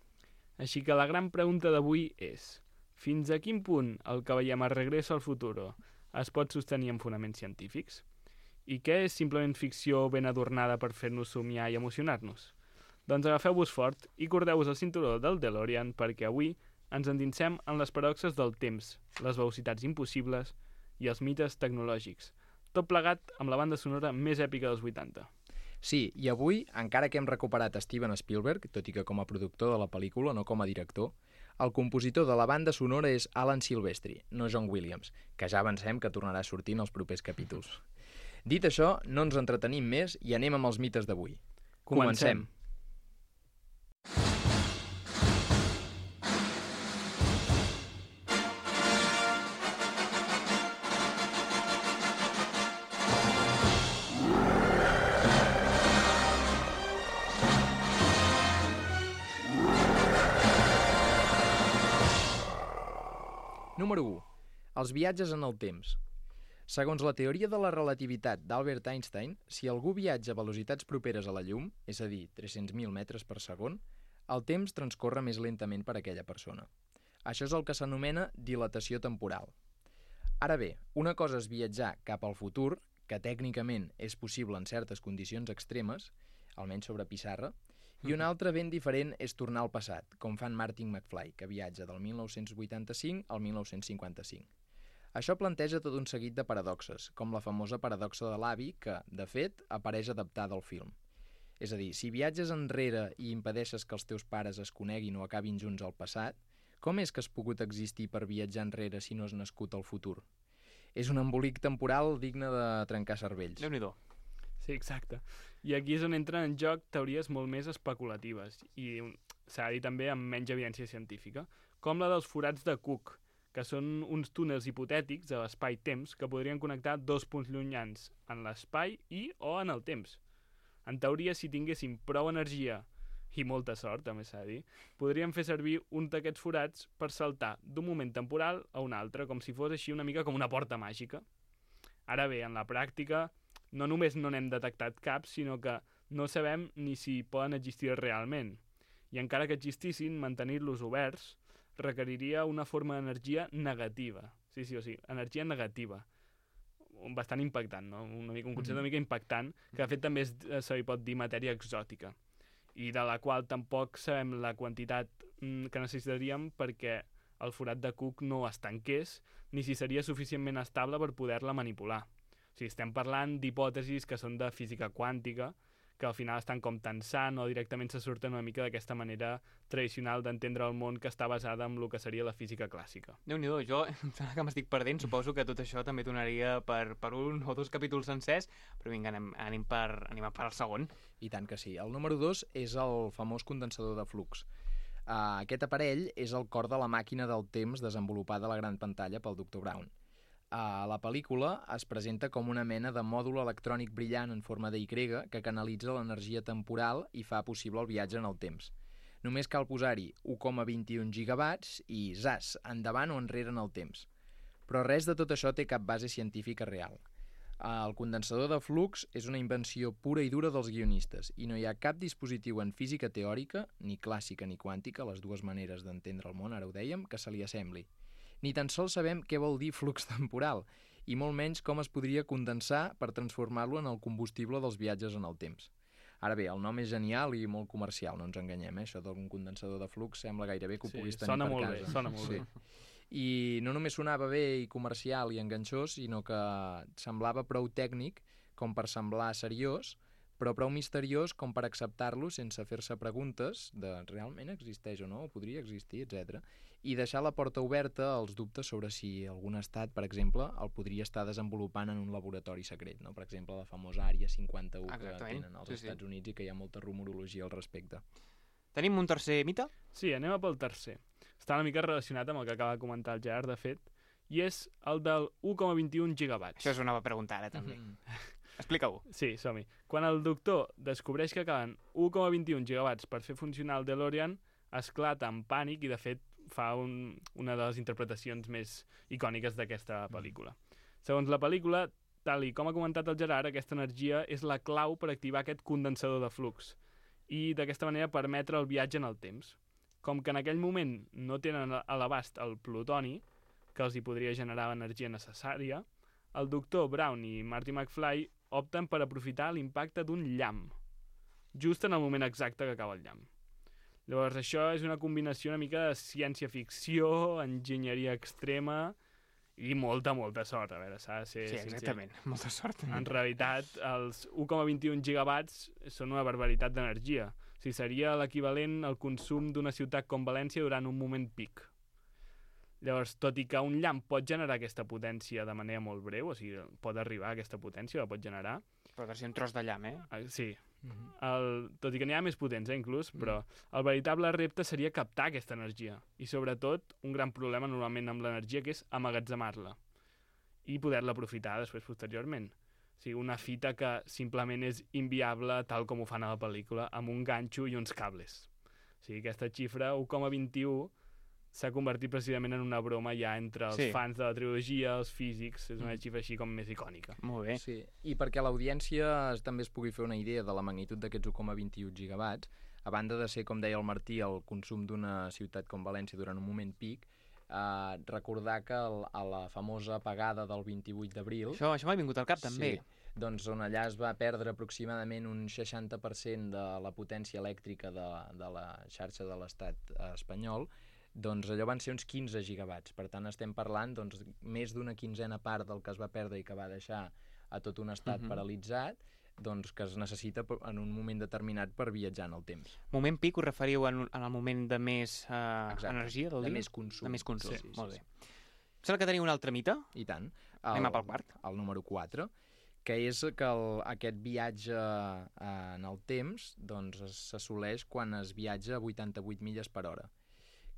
Així que la gran pregunta d'avui és: fins a quin punt el que veiem a Regreso al futuro es pot sostenir amb fonaments científics? I què és simplement ficció ben adornada per fer-nos somiar i emocionar-nos? Doncs agafeu-vos fort i cordeu-vos el cinturó del DeLorean perquè avui ens endinsem en les paradoxes del temps, les velocitats impossibles i els mites tecnològics. Tot plegat amb la banda sonora més èpica dels vuitanta. Sí, i avui, encara que hem recuperat Steven Spielberg, tot i que com a productor de la pel·lícula, no com a director, el compositor de la banda sonora és Alan Silvestri, no John Williams, que ja avancem que tornarà a sortir en els propers capítols. Dit això, no ens entretenim més i anem amb els mites d'avui. Comencem. Número u. Els viatges en el temps. Segons la teoria de la relativitat d'Albert Einstein, si algú viatja a velocitats properes a la llum, és a dir, tres-cents mil metres per segon, el temps transcorre més lentament per a aquella persona. Això és el que s'anomena dilatació temporal. Ara bé, una cosa és viatjar cap al futur, que tècnicament és possible en certes condicions extremes, almenys sobre pissarra, i una altra ben diferent és tornar al passat, com fan Marty McFly, que viatja del mil nou-cents vuitanta-cinc al mil nou-cents cinquanta-cinc. Això planteja tot un seguit de paradoxes, com la famosa paradoxa de l'avi, que, de fet, apareix adaptada al film. És a dir, si viatges enrere i impedeixes que els teus pares es coneguin o acabin junts al passat, com és que has pogut existir per viatjar enrere si no has nascut al futur? És un embolic temporal digne de trencar cervells. Déu-n'hi-do. Sí, exacte. I aquí és on entren en joc teories molt més especulatives i s'ha de dir també amb menys evidència científica, com la dels forats de Cook, que són uns túnels hipotètics a l'espai-temps que podrien connectar dos punts llunyans en l'espai i o en el temps. En teoria, si tinguéssim prou energia i molta sort, també s'ha de dir, podríem fer servir un d'aquests forats per saltar d'un moment temporal a un altre, com si fos així una mica com una porta màgica. Ara bé, en la pràctica, no només no n'hem detectat cap, sinó que no sabem ni si poden existir realment. I encara que existissin, mantenir-los oberts requeriria una forma d'energia negativa. Sí, sí, o sigui, energia negativa. Bastant impactant, no? Una mica, un concepte una mica impactant, que de fet també es, se li pot dir matèria exòtica, i de la qual tampoc sabem la quantitat que necessitaríem perquè el forat de Cook no es tanqués, ni si seria suficientment estable per poder-la manipular. O sigui, estem parlant d'hipòtesis que són de física quàntica, que al final estan com tensant o directament se surten una mica d'aquesta manera tradicional d'entendre el món que està basada en el que seria la física clàssica. Déu-n'hi-do, jo em sembla que m'estic perdent, suposo que tot això també donaria per, per un o dos capítols sencers, però vinga, anem, anem, per, anem per al segon. I tant que sí. El número dos és el famós condensador de flux. Uh, aquest aparell és el cor de la màquina del temps desenvolupada a la gran pantalla pel doctor Brown. A la pel·lícula es presenta com una mena de mòdul electrònic brillant en forma d'Y que canalitza l'energia temporal i fa possible el viatge en el temps. Només cal posar-hi u coma vint-i-un gigawatts i, zas, endavant o enrere en el temps. Però res de tot això té cap base científica real. El condensador de flux és una invenció pura i dura dels guionistes i no hi ha cap dispositiu en física teòrica, ni clàssica ni quàntica, les dues maneres d'entendre el món, ara ho dèiem, que se li assembli. Ni tan sols sabem què vol dir flux temporal, i molt menys com es podria condensar per transformar-lo en el combustible dels viatges en el temps. Ara bé, el nom és genial i molt comercial, no ens enganyem, eh? Això d'un condensador de flux sembla gairebé que ho Sí, puguis tenir sona per molt casa. bé, sona molt sí. bé. I no només sonava bé i comercial i enganxós, sinó que semblava prou tècnic com per semblar seriós, però prou misteriós com per acceptar-lo sense fer-se preguntes de realment existeix o no, o podria existir, etcètera, i deixar la porta oberta als dubtes sobre si algun estat, per exemple, el podria estar desenvolupant en un laboratori secret, no? Per exemple, la famosa Àrea cinquanta-u que tenen als sí, Estats sí. Units i que hi ha molta rumorologia al respecte. Tenim un tercer mite? Sí, anem a pel tercer. Està una mica relacionat amb el que acaba de comentar el Gerard, de fet, i és el del u coma vint-i-un gigawatts. Això és una pregunta ara, també. Mm-hmm. Explica-ho. Sí, som-hi. Quan el doctor descobreix que calen u coma vint-i-un gigawatts per fer funcionar el DeLorean, esclata en pànic i, de fet, fa un, una de les interpretacions més icòniques d'aquesta pel·lícula. Segons la pel·lícula, tal i com ha comentat el Gerard, aquesta energia és la clau per activar aquest condensador de flux i, d'aquesta manera, permetre el viatge en el temps. Com que en aquell moment no tenen a l'abast el plutoni, que els hi podria generar l'energia necessària, el doctor Brown i Marty McFly opten per aprofitar l'impacte d'un llamp, just en el moment exacte que acaba el llamp. Llavors, això és una combinació una mica de ciència-ficció, enginyeria extrema i molta, molta sort. A veure, s'ha de ser Sí, sincer. exactament. Molta sort. En realitat, els u coma vint-i-un gigawatts són una barbaritat d'energia. O sigui, seria l'equivalent al consum d'una ciutat com València durant un moment pic. Llavors, tot i que un llamp pot generar aquesta potència de manera molt breu, o sigui, pot arribar a aquesta potència, la pot generar. Però ha de ser un tros de llamp, eh? Eh, Sí, el, tot i que n'hi ha més potents, eh, inclús, però el veritable repte seria captar aquesta energia. I sobretot, un gran problema normalment amb l'energia, que és emmagatzemar-la i poder-la aprofitar després posteriorment. O sigui, una fita que simplement és inviable, tal com ho fan a la pel·lícula, amb un ganxo i uns cables. O sigui, aquesta xifra, u coma vint-i-un, s'ha convertit precisament en una broma ja entre els Sí. fans de la trilogia, els físics, és una xifra així com més icònica. Molt bé. Sí, i perquè l'audiència es- també es pugui fer una idea de la magnitud d'aquests u coma vint-i-un gigawatts, a banda de ser, com deia el Martí, el consum d'una ciutat com València durant un moment pic, eh, recordar que el, a la famosa apagada del vint-i-vuit d'abril... Això, això m'ha vingut al cap, també. Sí, doncs on allà es va perdre aproximadament un seixanta per cent de la potència elèctrica de, de la xarxa de l'estat espanyol, doncs allò van ser uns quinze gigawatts. Per tant, estem parlant doncs, més d'una quinzena part del que es va perdre i que va deixar a tot un estat Mhm. paralitzat, doncs que es necessita per- en un moment determinat per viatjar en el temps. Moment pic us referiu en, en el moment de més eh, Exacte. energia del De dia? més consum. De més consum, Sí, sí, molt sí, bé. Sembla que teniu un altre mite? I tant. Anem a pel quart. El número quatre, que és que el, aquest viatge eh, en el temps doncs, es- s'assoleix quan es viatja a vuitanta-vuit milles per hora,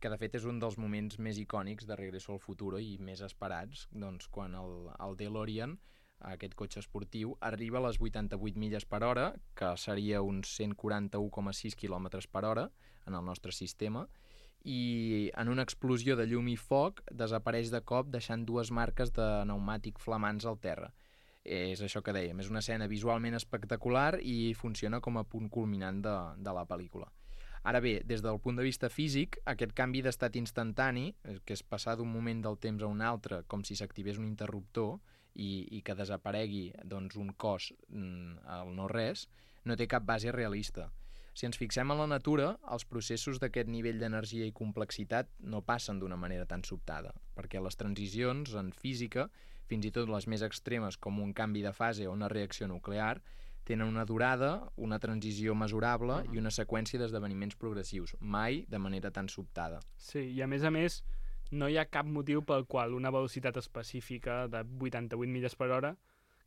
que de fet és un dels moments més icònics de Regreso al Futuro i més esperats, doncs, quan el, el DeLorean, aquest cotxe esportiu, arriba a les vuitanta-vuit milles per hora, que seria uns cent quaranta-u coma sis quilòmetres per hora en el nostre sistema, i en una explosió de llum i foc desapareix de cop deixant dues marques de pneumàtic flamants al terra. És això que dèiem, és una escena visualment espectacular i funciona com a punt culminant de, de la pel·lícula. Ara bé, des del punt de vista físic, aquest canvi d'estat instantani, que és passar d'un moment del temps a un altre, com si s'activés un interruptor i, i que desaparegui doncs, un cos mm, al no-res, no té cap base realista. Si ens fixem en la natura, els processos d'aquest nivell d'energia i complexitat no passen d'una manera tan sobtada, perquè les transicions en física, fins i tot les més extremes com un canvi de fase o una reacció nuclear, Tenen una durada, una transició mesurable uh-huh. i una seqüència d'esdeveniments progressius, mai de manera tan sobtada. Sí, i a més a més, no hi ha cap motiu pel qual una velocitat específica de vuitanta-vuit milles per hora,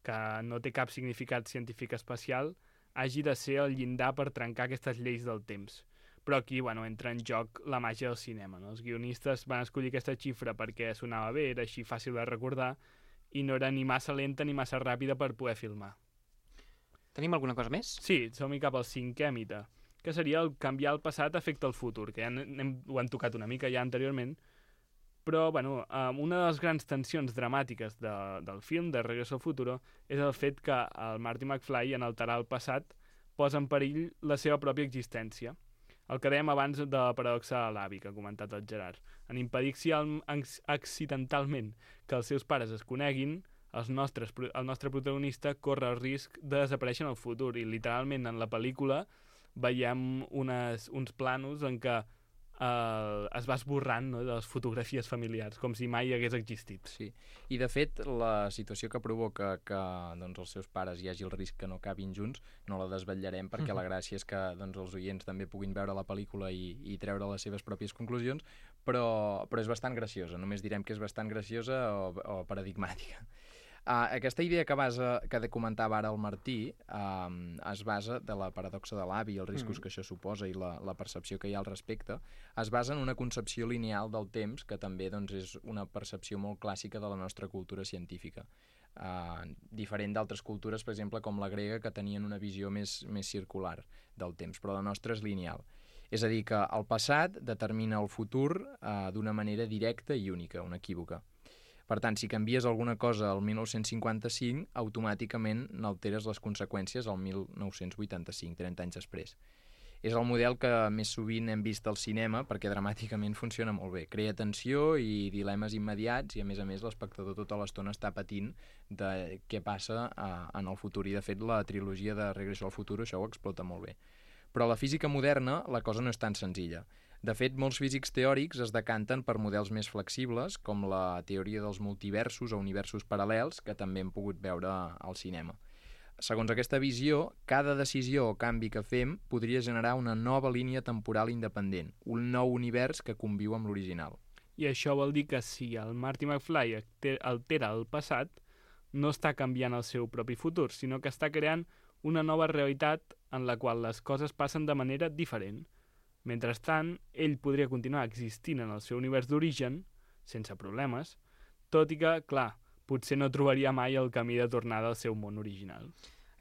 que no té cap significat científic especial, hagi de ser el llindar per trencar aquestes lleis del temps. Però aquí, bueno, entra en joc la màgia del cinema, no? Els guionistes van escollir aquesta xifra perquè sonava bé, era així fàcil de recordar, i no era ni massa lenta ni massa ràpida per poder filmar. Tenim alguna cosa més? Sí, som-hi cap al cinquè mite, que seria el canviar el passat afecta el futur, que ja hem, ho han tocat una mica ja anteriorment, però, bueno, una de les grans tensions dramàtiques de, del film, de Regreso al Futuro, és el fet que el Marty McFly, en alterar el passat, posa en perill la seva pròpia existència. El que dèiem abans de la paradoxa de l'avi, que ha comentat el Gerard. En impedir accidentalment que els seus pares es coneguin, els nostres, el nostre protagonista corre el risc de desaparèixer en el futur, i literalment en la pel·lícula veiem unes, uns planos en què Uh, es va esborrant, no?, de les fotografies familiars, com si mai hagués existit. Sí, i de fet la situació que provoca que doncs, els seus pares hi hagi el risc que no acabin junts no la desvetllarem, perquè la gràcia és que doncs, els oients també puguin veure la pel·lícula i, i treure les seves pròpies conclusions, però, però és bastant graciosa, només direm que és bastant graciosa o, o paradigmàtica. Uh, aquesta idea que, basa, que comentava ara el Martí uh, es basa de la paradoxa de l'avi i els riscos mm. que això suposa i la, la percepció que hi ha al respecte, es basa en una concepció lineal del temps que també doncs, és una percepció molt clàssica de la nostra cultura científica. Uh, diferent d'altres cultures, per exemple, com la grega, que tenien una visió més, més circular del temps, però la nostra és lineal. És a dir, que el passat determina el futur uh, d'una manera directa i única, unequívoca. Per tant, si canvies alguna cosa al mil nou-cents cinquanta-cinc, automàticament n'alteres les conseqüències al mil nou-cents vuitanta-cinc, trenta anys després. És el model que més sovint hem vist al cinema perquè dramàticament funciona molt bé. Crea tensió i dilemes immediats i, a més a més, l'espectador tota l'estona està patint de què passa uh, en el futur. I, de fet, la trilogia de Regreso al Futuro això ho explota molt bé. Però a la física moderna la cosa no és tan senzilla. De fet, molts físics teòrics es decanten per models més flexibles, com la teoria dels multiversos o universos paral·lels, que també hem pogut veure al cinema. Segons aquesta visió, cada decisió o canvi que fem podria generar una nova línia temporal independent, un nou univers que conviu amb l'original. I això vol dir que si el Marty McFly altera el passat, no està canviant el seu propi futur, sinó que està creant una nova realitat en la qual les coses passen de manera diferent. Mentrestant, ell podria continuar existint en el seu univers d'origen, sense problemes, tot i que, clar, potser no trobaria mai el camí de tornada al seu món original.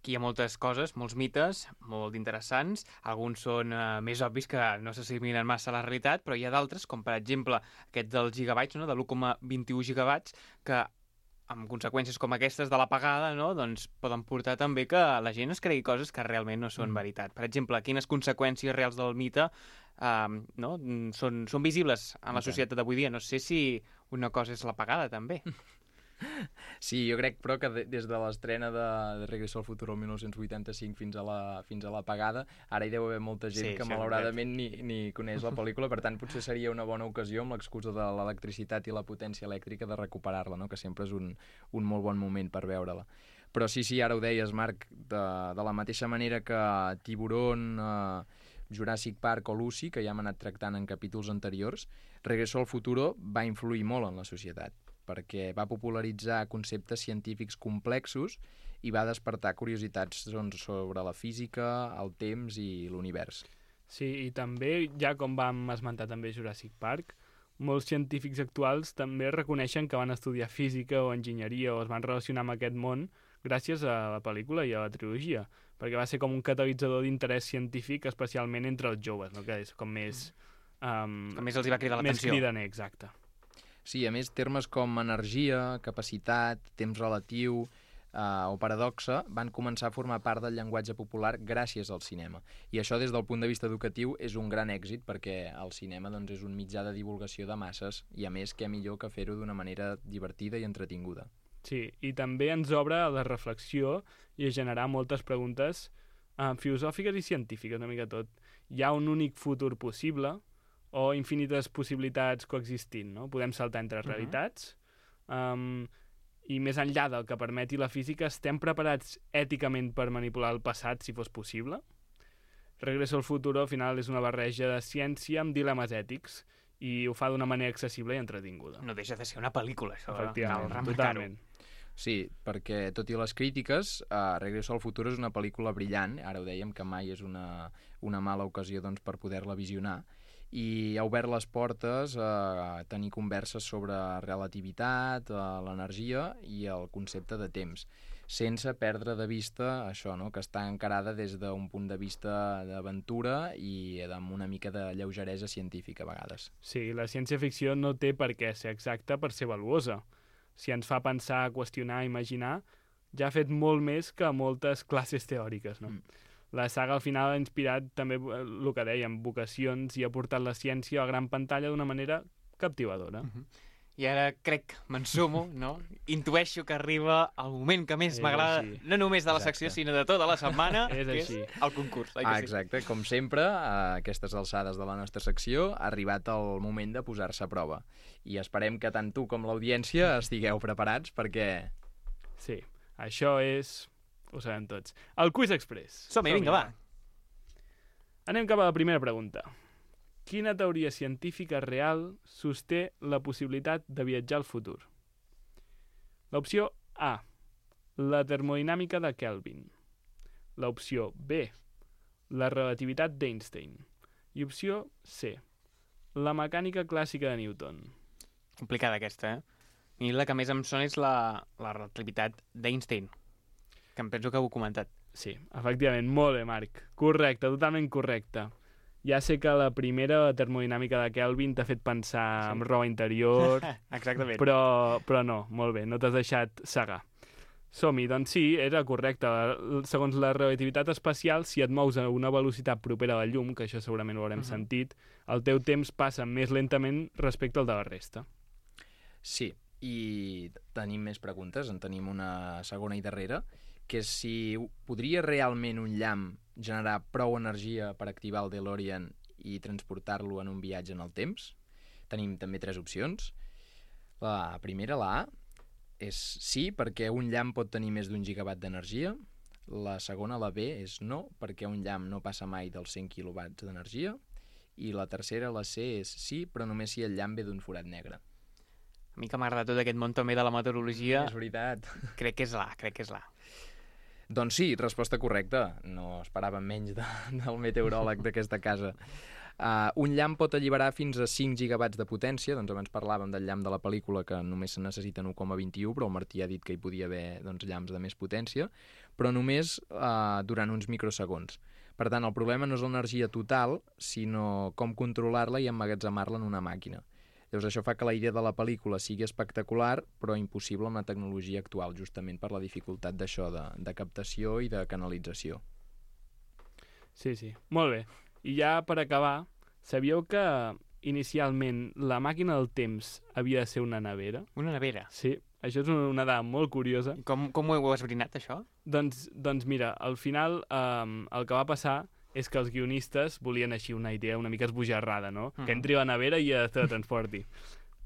Aquí hi ha moltes coses, molts mites, molt interessants. Alguns són uh, més obvis que no s'assimilen massa a la realitat, però hi ha d'altres, com per exemple aquest dels gigabytes, no? De l'u coma vint-i-u gigabytes, que amb conseqüències com aquestes de l'apagada, no? Doncs poden portar també que la gent es cregui coses que realment no són mm. veritat. Per exemple, quines conseqüències reals del mite uh, no? són, són visibles en la societat d'avui dia. No sé si una cosa és l'apagada, també. Sí, jo crec, però, que de, des de l'estrena de, de Regreso al Futuro el mil nou-cents vuitanta-cinc fins a la fins a l'apagada, ara hi deu haver molta gent sí, que malauradament ni, ni coneix la pel·lícula, per tant potser seria una bona ocasió, amb l'excusa de l'electricitat i la potència elèctrica, de recuperar-la, no? Que sempre és un, un molt bon moment per veure-la. Però sí, sí, ara ho deies, Marc, de, de la mateixa manera que Tiburón, eh, Jurassic Park o Lucy, que ja hem anat tractant en capítols anteriors, Regreso al Futuro va influir molt en la societat, perquè va popularitzar conceptes científics complexos i va despertar curiositats doncs, sobre la física, el temps i l'univers. Sí, i també, ja com vam esmentar també Jurassic Park, molts científics actuals també reconeixen que van estudiar física o enginyeria o es van relacionar amb aquest món gràcies a la pel·lícula i a la trilogia, perquè va ser com un catalitzador d'interès científic, especialment entre els joves, no? Que és com més... Um, com més els hi va cridar l'atenció. Més cridaner, exacte. Sí, a més, termes com energia, capacitat, temps relatiu eh, o paradoxa van començar a formar part del llenguatge popular gràcies al cinema. I això, des del punt de vista educatiu, és un gran èxit, perquè el cinema doncs, és un mitjà de divulgació de masses i, a més, què millor que fer-ho d'una manera divertida i entretinguda. Sí, i també ens obre a la reflexió i a generar moltes preguntes eh, filosòfiques i científiques, una mica tot. Hi ha un únic futur possible o infinites possibilitats coexistint, no? Podem saltar entre realitats. Uh-huh. um, I més enllà del que permeti la física, estem preparats èticament per manipular el passat, si fos possible? Regreso al Futuro, al final, és una barreja de ciència amb dilemes ètics i ho fa d'una manera accessible i entretinguda. No deixa de ser una pel·lícula, això. Efectivament, totalment. Sí, perquè tot i les crítiques, uh, Regreso al Futuro és una pel·lícula brillant, ara ho dèiem que mai és una, una mala ocasió doncs, per poder-la visionar, i ha obert les portes a tenir converses sobre relativitat, l'energia i el concepte de temps, sense perdre de vista això, no? Que està encarada des d'un punt de vista d'aventura i amb una mica de lleugeresa científica a vegades. Sí, la ciència-ficció no té per què ser exacta per ser valuosa. Si ens fa pensar, qüestionar, imaginar, ja ha fet molt més que moltes classes teòriques, no? Mm. La saga al final ha inspirat també el que dèiem, vocacions, i ha portat la ciència a la gran pantalla d'una manera captivadora. Uh-huh. I ara crec, m'ensumo, no? Intueixo que arriba el moment que més m'agrada, no només de la secció, Exacte. sinó de tota la setmana, és que així. és el concurs. Ah, exacte. Com sempre, a aquestes alçades de la nostra secció, ha arribat el moment de posar-se a prova. I esperem que tant tu com l'audiència estigueu preparats perquè... Sí, això és... Ho sabem tots. El Quiz Express. Som-hi, vinga, va. Anem cap a la primera pregunta. Quina teoria científica real sosté la possibilitat de viatjar al futur? L'opció A, la termodinàmica de Kelvin. L'opció B, la relativitat d'Einstein. I opció C, la mecànica clàssica de Newton. Complicada aquesta, eh? I la que més em sona és la, la relativitat d'Einstein, que em penso que ho he comentat. Sí, efectivament, molt bé, Marc. Correcte, totalment correcte. Ja sé que la primera termodinàmica de Kelvin t'ha fet pensar sí. en roba interior, exactament, però, però no, molt bé, no t'has deixat cegar. Som-hi, doncs sí, era correcte. Segons la relativitat especial, si et mous a una velocitat propera a la llum, que això segurament ho haurem uh-huh. sentit, el teu temps passa més lentament respecte al de la resta. Sí, i tenim més preguntes, en tenim una segona i darrera, que és si podria realment un llamp generar prou energia per activar el DeLorean i transportar-lo en un viatge en el temps. Tenim també tres opcions. La primera, la A, és sí, perquè un llamp pot tenir més d'un gigawatt d'energia. La segona, la B, és no, perquè un llamp no passa mai dels cent quilowatts d'energia. I la tercera, la C, és sí, però només si el llamp ve d'un forat negre. A mi que m'agrada tot aquest món també de la meteorologia... És veritat. Crec que és l'A, crec que és l'A. Doncs sí, resposta correcta. No esperàvem menys de, del meteoròleg d'aquesta casa. Uh, un llamp pot alliberar fins a cinc gigawatts de potència, doncs abans parlàvem del llamp de la pel·lícula que només se necessiten u coma vint i u, però el Martí ha dit que hi podia haver doncs, llamps de més potència, però només uh, durant uns microsegons. Per tant, el problema no és l'energia total, sinó com controlar-la i emmagatzemar-la en una màquina. Llavors això fa que la idea de la pel·lícula sigui espectacular, però impossible amb la tecnologia actual, justament per la dificultat d'això, de, de captació i de canalització. Sí, sí, molt bé. I ja per acabar, sabíeu que inicialment la màquina del temps havia de ser una nevera? Una nevera? Sí, això és una dada molt curiosa. Com, com ho heu esbrinat, això? Doncs, doncs mira, al final eh, el que va passar és que els guionistes volien així una idea una mica esbojarrada, no? Mm. Que entri a la nevera i es teletransporti.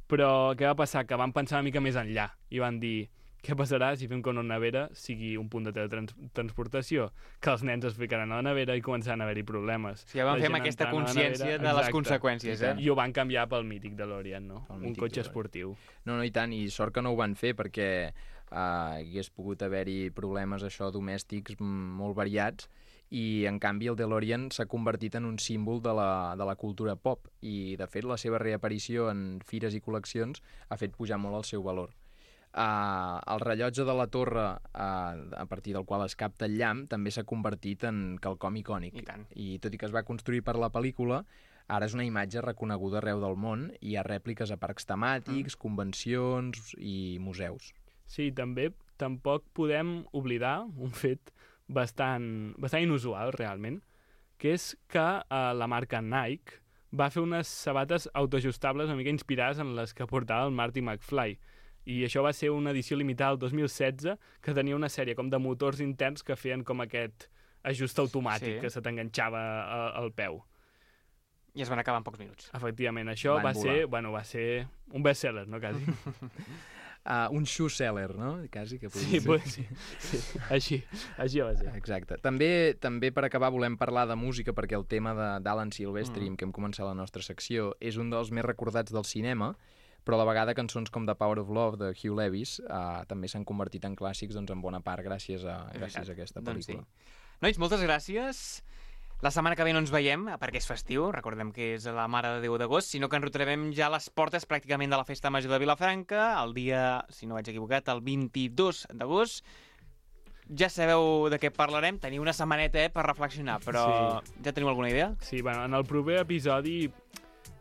Però què va passar? Que van pensar una mica més enllà i van dir, què passarà si fem que una nevera sigui un punt de teletransportació? Que els nens es ficaran a la nevera i començaran a haver-hi problemes. Sí, ja van fer aquesta consciència nevera, de les conseqüències, eh? I ho van canviar pel mític DeLorean, no? Un cotxe esportiu. No, no, i tant, i sort que no ho van fer perquè uh, hagués pogut haver-hi problemes això domèstics molt variats, i en canvi el DeLorean s'ha convertit en un símbol de la, de la cultura pop i de fet la seva reaparició en fires i col·leccions ha fet pujar molt el seu valor. Uh, el rellotge de la torre uh, a partir del qual es capta el llamp també s'ha convertit en quelcom icònic. I tant. I tot i que es va construir per la pel·lícula, ara és una imatge reconeguda arreu del món i hi ha rèpliques a parcs temàtics, mm. convencions i museus. Sí, també tampoc podem oblidar un fet bastant, bastant inusual, realment, que és que eh, la marca Nike va fer unes sabates autoajustables una mica inspirades en les que portava el Marty McFly. I això va ser una edició limitada el dos mil setze que tenia una sèrie com de motors interns que feien com aquest ajust automàtic sí. que se t'enganxava al peu. I es van acabar en pocs minuts. Efectivament, això van va volar. ser, bueno, va ser un best-seller, no, quasi? Uh, un shoe seller, no? Quasi que sí, pues, sí, sí, així, així va ser. Exacte. També, també per acabar volem parlar de música perquè el tema d'Alan Silvestri, mm. amb què hem començat la nostra secció, és un dels més recordats del cinema, però a la vegada cançons com The Power of Love de Hugh Lewis uh, també s'han convertit en clàssics doncs, en bona part gràcies a, gràcies a aquesta pel·lícula. Doncs sí. Nois, moltes gràcies. La setmana que ve no ens veiem, perquè és festiu, recordem que és la Mare de Déu d'agost, sinó que ens retrobem ja a les portes pràcticament de la Festa Major de Vilafranca, el dia, si no vaig equivocat, el vint-i-dos d'agost. Ja sabeu de què parlarem, teniu una setmaneta eh, per reflexionar, però sí. Ja teniu alguna idea? Sí, bueno, en el proper episodi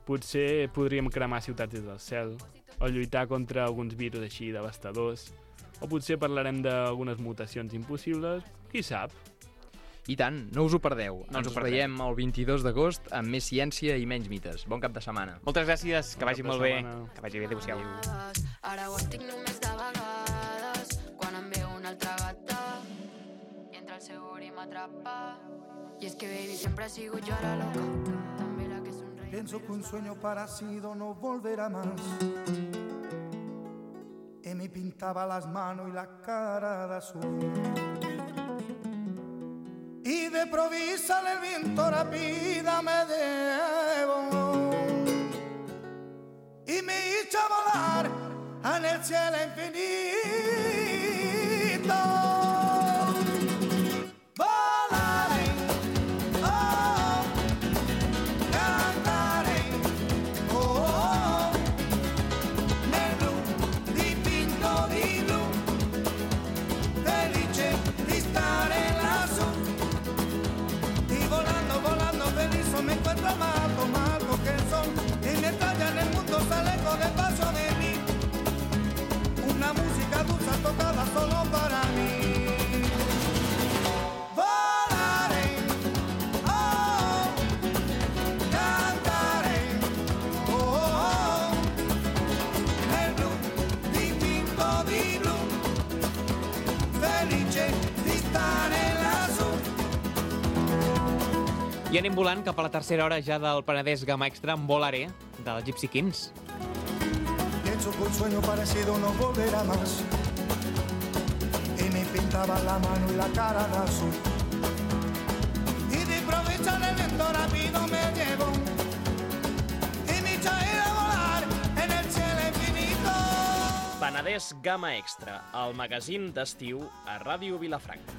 potser podríem cremar ciutats des del cel, o lluitar contra alguns virus així devastadors, o potser parlarem d'algunes mutacions impossibles, qui sap? I tant, no us ho perdeu. No ens us veiem el vint-i-dos d'agost amb més ciència i menys mites. Bon cap de setmana. Moltes gràcies, que vagi molt bé. Que vagi bé, adéu-siau. Ara ho estic només de vegades, quan em veu una altra gata, i entra el segur i m'atrapa. Y es que baby siempre ha sido yo la loca, també la que sonreí. Pienso que un sueño parecido no volverá más. Y me pintaba las manos y la cara de azul. Y de provisa el viento rápida me debo y me hizo volar en el cielo infinito. Volaré, oh, cantaré, oh, nel blu dipinto di blu, felice di stare lassù. Me encuentro amado, amado que son y me talla en el mundo, se alejo despacio de mí. Una música dulce tocada solo para mí. Volaré, oh, cantaré, oh, oh, nel blu dipinto di blu, felice di stare lassù. I anem volant cap a la tercera hora ja del Penedès Gamma Extra amb Volaré, del Gypsy Kings. Pienso que un sueño parecido no volverá más. Y me pintaba la mano y la cara de azul. Y de improviso el viento rápido me llevó. Y me hizo ir a volar en el cielo infinito. Penedès Gamma Extra, el magazín d'estiu a Ràdio Vilafranca.